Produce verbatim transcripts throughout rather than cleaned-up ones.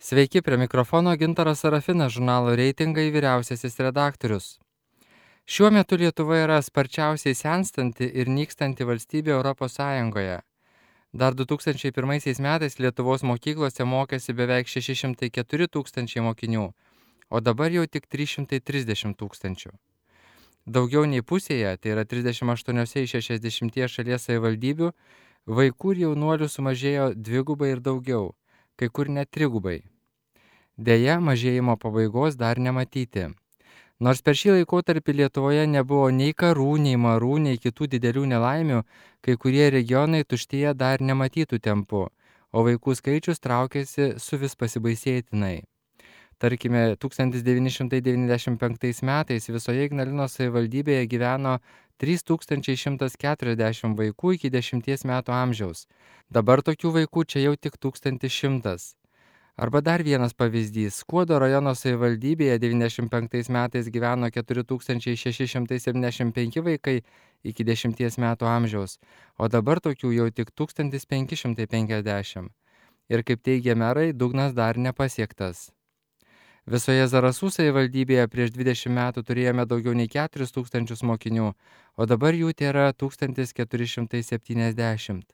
Sveiki, prie mikrofono Gintaras Sarafinas, žurnalo Reitingai vyriausiasis redaktorius. Šiuo metu Lietuva yra sparčiausiai senstanti ir nykstanti valstybė Europos Sąjungoje. Dar du tūkstančiai pirmaisiais metais Lietuvos mokyklose mokėsi beveik šeši šimtai keturi tūkstančiai mokinių, o dabar jau tik trys šimtai trisdešimt tūkstančių. Daugiau nei pusėje, tai yra trisdešimt aštuoniose iš šešiasdešimties šalies savivaldybių, vaikų ir jaunuolių sumažėjo dvigubai ir daugiau, kai kur net trigubai. Deja, mažėjimo pabaigos dar nematyti. Nors per šį laikotarpį Lietuvoje nebuvo nei karų, nei marų, nei kitų didelių nelaimių, kai kurie regionai tuštėja dar nematytų tempu, o vaikų skaičius traukėsi su vis pasibaisėtinai. Tarkime, tūkstantis devyni šimtai devyniasdešimt penktais metais visoje Ignalinos savivaldybėje gyveno trys tūkstančiai šimtas keturiasdešimt vaikų iki dešimties metų amžiaus. Dabar tokių vaikų čia jau tik tūkstantis šimtas. Arba dar vienas pavyzdys. Skuodo rajono savivaldybėje devyniasdešimt penktais metais gyveno keturi tūkstančiai šeši šimtai septyniasdešimt penki vaikai iki dešimties metų amžiaus, o dabar tokių jau tik tūkstantis penki šimtai penkiasdešimt. Ir kaip teigia merai, dugnas dar nepasiektas. Visoje Zarasų savivaldybėje prieš dvidešimt metų turėjome daugiau nei keturis tūkstančius mokinių, o dabar jų tėra tūkstantis keturi šimtai septyniasdešimt.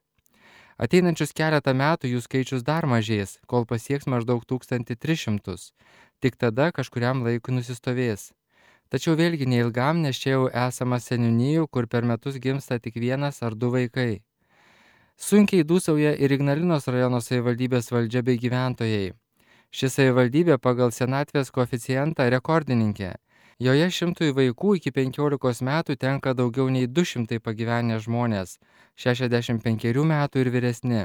Ateinančius keletą metų jų skaičius dar mažės, kol pasieks maždaug tūkstantį tris šimtus. Tik tada kažkuriam laikui nusistovės. Tačiau vėlgi neilgam, nes čia jau esama seniūnijų, kur per metus gimsta tik vienas ar du vaikai. Sunkiai dūsauja ir Ignalinos rajono savivaldybės valdžia bei gyventojai. Ši savivaldybė pagal senatvės koeficientą rekordininkė. Joje šimtui vaikų iki penkiolikos metų tenka daugiau nei du šimtai pagyvenę žmonės, šešiasdešimt penkerių metų ir vyresni.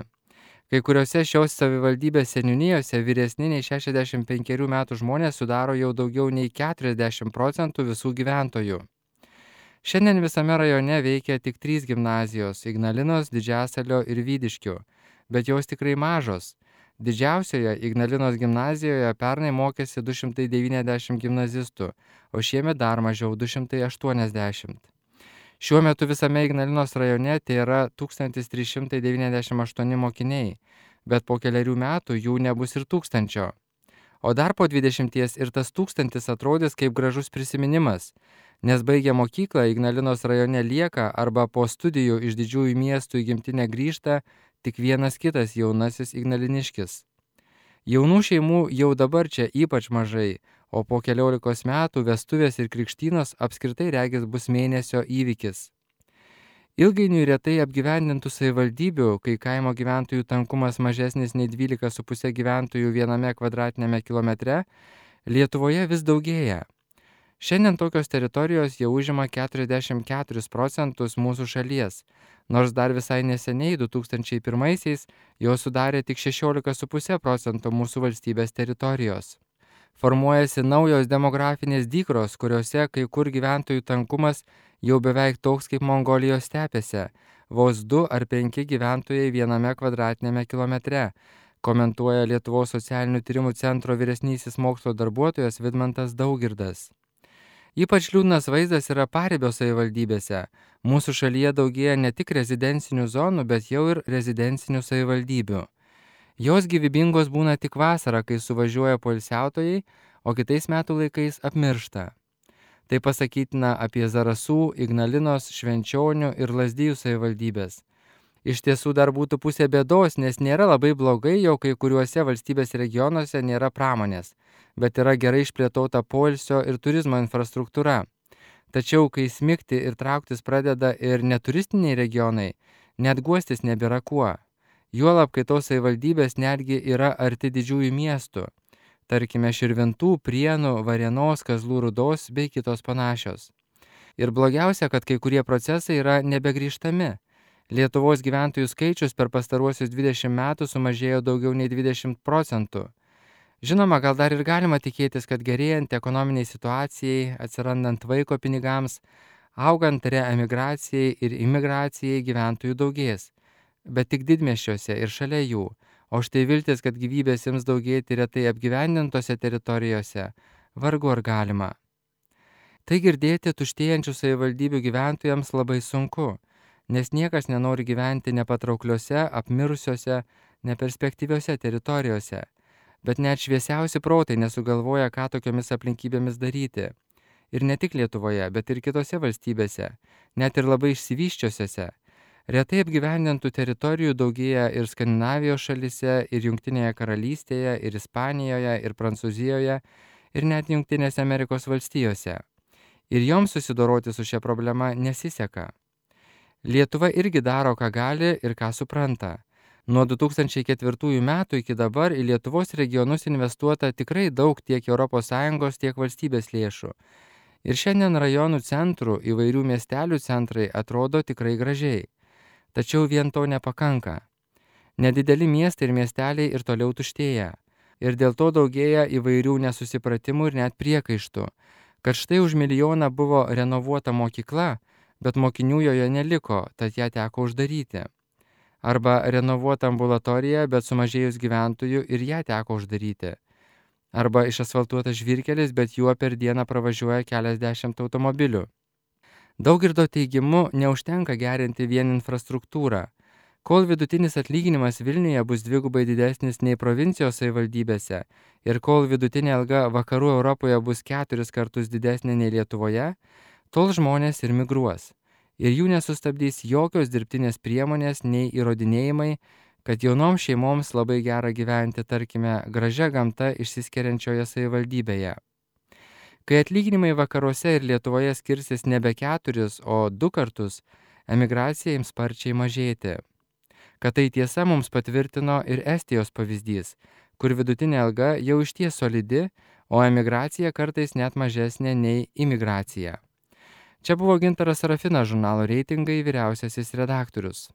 Kai kuriuose šios savivaldybės seniūnijose vyresni nei šešiasdešimt penkerių metų žmonės sudaro jau daugiau nei keturiasdešimt procentų visų gyventojų. Šiandien visame rajone veikia tik trys gimnazijos – Ignalinos, Didžiasalio ir Vydiškių, bet jos tikrai mažos. Didžiausioje Ignalinos gimnazijoje pernai mokėsi du šimtai devyniasdešimt gimnazistų, o šiemet dar mažiau du šimtai aštuoniasdešimt. Šiuo metu visame Ignalinos rajone tai yra tūkstantis trys šimtai devyniasdešimt aštuoni mokiniai, bet po keliarių metų jų nebus ir tūkstančio. O dar po dvidešimties ir tas tūkstantis atrodys kaip gražus prisiminimas, nes baigę mokyklą Ignalinos rajone lieka arba po studijų iš didžiųjų miestų į gimtinę grįžta tik vienas kitas jaunasis ignaliniškis. Jaunų šeimų jau dabar čia ypač mažai, o po keliolikos metų vestuvės ir krikštynos apskritai regis bus mėnesio įvykis. Ilgainiui retai apgyvendintų savivaldybių, kai kaimo gyventojų tankumas mažesnis nei dvylika su puse gyventojų viename kvadratiniame kilometre, Lietuvoje vis daugėja. Šiandien tokios teritorijos jau užima keturiasdešimt keturis procentus mūsų šalies, nors dar visai neseniai du tūkstančiai pirmaisiais jos sudarė tik šešiolika su puse procento mūsų valstybės teritorijos. Formuojasi naujos demografinės dykros, kuriuose kai kur gyventojų tankumas jau beveik toks kaip Mongolijos stepėse, vos du ar penki gyventojai viename kvadratiniame kilometre, komentuoja Lietuvos socialinių tyrimų centro vyresnysis mokslo darbuotojas Vidmantas Daugirdas. Ypač liūdnas vaizdas yra Paribio savivaldybėse. Mūsų šalyje daugėja ne tik rezidencinių zonų, bet jau ir rezidencinių savivaldybių. Jos gyvybingos būna tik vasarą, kai suvažiuoja poilsiautojai, o kitais metų laikais apmiršta. Tai pasakytina apie Zarasų, Ignalinos, Švenčionių ir Lazdijų savivaldybės. Iš tiesų dar būtų pusė bėdos, nes nėra labai blogai, jau kai kuriuose valstybės regionuose nėra pramonės, bet yra gerai išplėtota poilsio ir turizmo infrastruktūra. Tačiau, kai smigti ir trauktis pradeda ir neturistiniai regionai, net guostis nebėra kuo. Juolab, kai tos savivaldybės netgi yra arti didžiųjų miestų, tarkime Širvintų, Prienų, Varėnos, Kazlų Rūdos bei kitos panašios. Ir blogiausia, kad kai kurie procesai yra nebegrįžtami. Lietuvos gyventojų skaičius per pastaruosius dvidešimt metų sumažėjo daugiau nei dvidešimt procentų. Žinoma, gal dar ir galima tikėtis, kad gerėjant ekonominiai situacijai, atsirandant vaiko pinigams, augant reemigracijai ir imigracijai gyventojų daugės, bet tik didmiesčiuose ir šalia jų, o štai viltis, kad gyvybės ims daugėti retai apgyvendintose teritorijose, vargu ar galima. Tai girdėti tuštėjančių savivaldybių gyventojams labai sunku, nes niekas nenori gyventi nepatraukliuose, apmirusiuose, neperspektyviuose teritorijose. bet net šviesiausi protai nesugalvoja, ką tokiomis aplinkybėmis daryti. Ir ne tik Lietuvoje, bet ir kitose valstybėse, net ir labai išsivysčiusiose. Retai apgyvendintų teritorijų daugėja ir Skandinavijos šalyse, ir Jungtinėje karalystėje, ir Ispanijoje, ir Prancūzijoje, ir net Jungtinėse Amerikos valstijose. Ir joms susidoroti su šia problema nesiseka. Lietuva irgi daro, ką gali ir ką supranta. Nuo du tūkstančiai ketvirtųjų metų iki dabar į Lietuvos regionus investuota tikrai daug tiek Europos Sąjungos, tiek valstybės lėšų. Ir šiandien rajonų centrų, įvairių miestelių centrai atrodo tikrai gražiai. Tačiau vien to nepakanka. Nedideli miestai ir miesteliai ir toliau tuštėja. Ir dėl to daugėja įvairių nesusipratimų ir net priekaištų, kad štai už milijoną buvo renovuota mokykla, bet mokinių joje neliko, tad ją teko uždaryti. Arba renovuota ambulatorija, bet sumažėjus gyventojų ir ją teko uždaryti. Arba išasfaltuotas žvyrkelis, bet juo per dieną pravažiuoja keliasdešimt automobilių. Daugirdo teigimu neužtenka gerinti vien infrastruktūrą. Kol vidutinis atlyginimas Vilniuje bus dvigubai didesnis nei provincijos savivaldybėse ir kol vidutinė alga vakarų Europoje bus keturis kartus didesnė nei Lietuvoje, tol žmonės ir migruos. Ir jų nesustabdys jokios dirbtinės priemonės nei įrodinėjimai, kad jaunoms šeimoms labai gera gyventi, tarkime, gražia gamta išsiskiriančioje savivaldybėje. Kai atlyginimai vakaruose ir Lietuvoje skirsis nebe keturis, o du kartus, emigracija ims sparčiai mažėti. Kad tai tiesa mums patvirtino ir Estijos pavyzdys, kur vidutinė alga jau išties solidi, o emigracija kartais net mažesnė nei imigracija. Čia buvo Gintaras Sarafinas, žurnalo Reitingai vyriausiasis redaktorius.